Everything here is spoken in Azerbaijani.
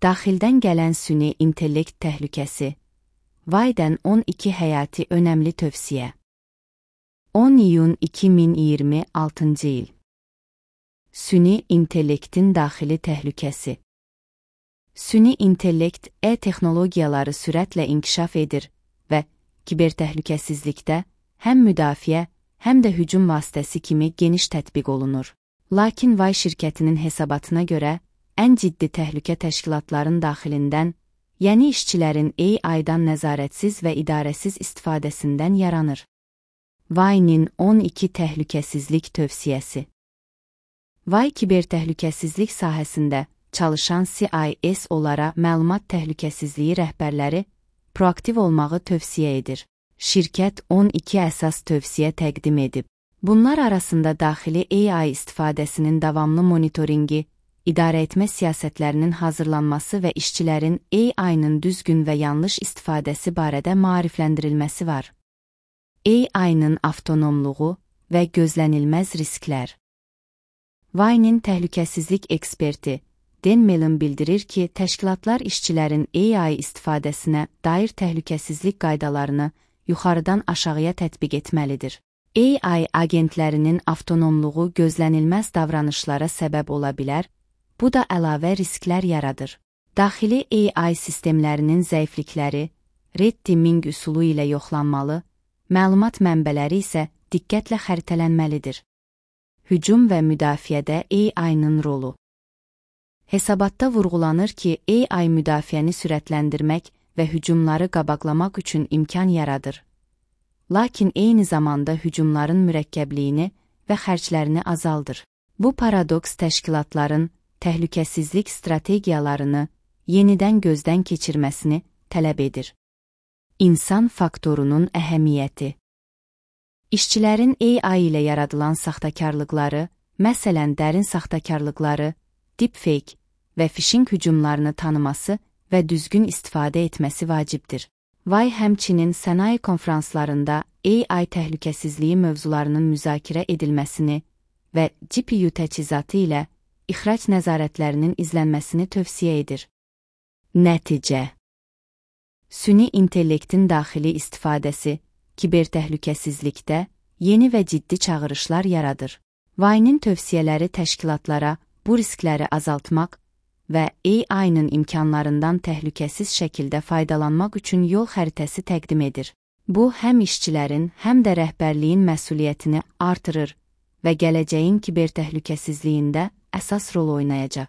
Daxildən gələn süni intellekt təhlükəsi. Vaydən 12 həyati önəmli tövsiyə. 10 iyun 2026-cı il. Süni intellektin daxili təhlükəsi. Süni intellekt texnologiyaları sürətlə inkişaf edir və kibertəhlükəsizlikdə həm müdafiə, həm də hücum vasitəsi kimi geniş tətbiq olunur. Lakin Vay şirkətinin hesabatına görə, ən ciddi təhlükə təşkilatların daxilindən, yəni işçilərin AI-dan nəzarətsiz və idarəsiz istifadəsindən yaranır. Vay'nin 12 təhlükəsizlik tövsiyəsi. Vay kibertəhlükəsizlik sahəsində çalışan CIS-lara məlumat təhlükəsizliyi rəhbərləri proaktiv olmağı tövsiyə edir. Şirkət 12 əsas tövsiyə təqdim edib. Bunlar arasında daxili AI istifadəsinin davamlı monitoringi, idarəetmə siyasətlərinin hazırlanması və işçilərin AI-nın düzgün və yanlış istifadəsi barədə maarifləndirilməsi var. AI-nın avtonomluğu və gözlənilməz risklər. Vay'nin təhlükəsizlik eksperti Dan Mellon bildirir ki, təşkilatlar işçilərin AI istifadəsinə dair təhlükəsizlik qaydalarını yuxarıdan aşağıya tətbiq etməlidir. AI agentlərinin avtonomluğu gözlənilməz davranışlara səbəb ola bilər, bu da əlavə risklər yaradır. Daxili AI sistemlərinin zəiflikləri red teaming üsulu ilə yoxlanmalı, məlumat mənbələri isə diqqətlə xəritələnməlidir. Hücum və müdafiədə AI-nın rolu. Hesabatda vurğulanır ki, AI müdafiəni sürətləndirmək və hücumları qabaqlamaq üçün imkan yaradır. Lakin eyni zamanda hücumların mürəkkəbliyini və xərclərini azaldır. Bu paradoks təşkilatların təhlükəsizlik strategiyalarını yenidən gözdən keçirməsini tələb edir. İnsan faktorunun əhəmiyyəti. İşçilərin AI ilə yaradılan saxtakarlıqları, məsələn dərin saxtakarlıqları, deepfake və phishing hücumlarını tanıması və düzgün istifadə etməsi vacibdir. Vay həmçinin sənaye konferanslarında AI təhlükəsizliyi mövzularının müzakirə edilməsini və GPU təchizatı ilə ixrac nəzarətlərinin izlənməsini tövsiyə edir. Nəticə. Süni intellektin daxili istifadəsi kibertəhlükəsizlikdə yeni və ciddi çağırışlar yaradır. Vay'nin tövsiyələri təşkilatlara bu riskləri azaltmaq və AI-nın imkanlarından təhlükəsiz şəkildə faydalanmaq üçün yol xəritəsi təqdim edir. Bu, həm işçilərin, həm də rəhbərliyin məsuliyyətini artırır və gələcəyin kibertəhlükəsizliyində əsas rol oynayacaq.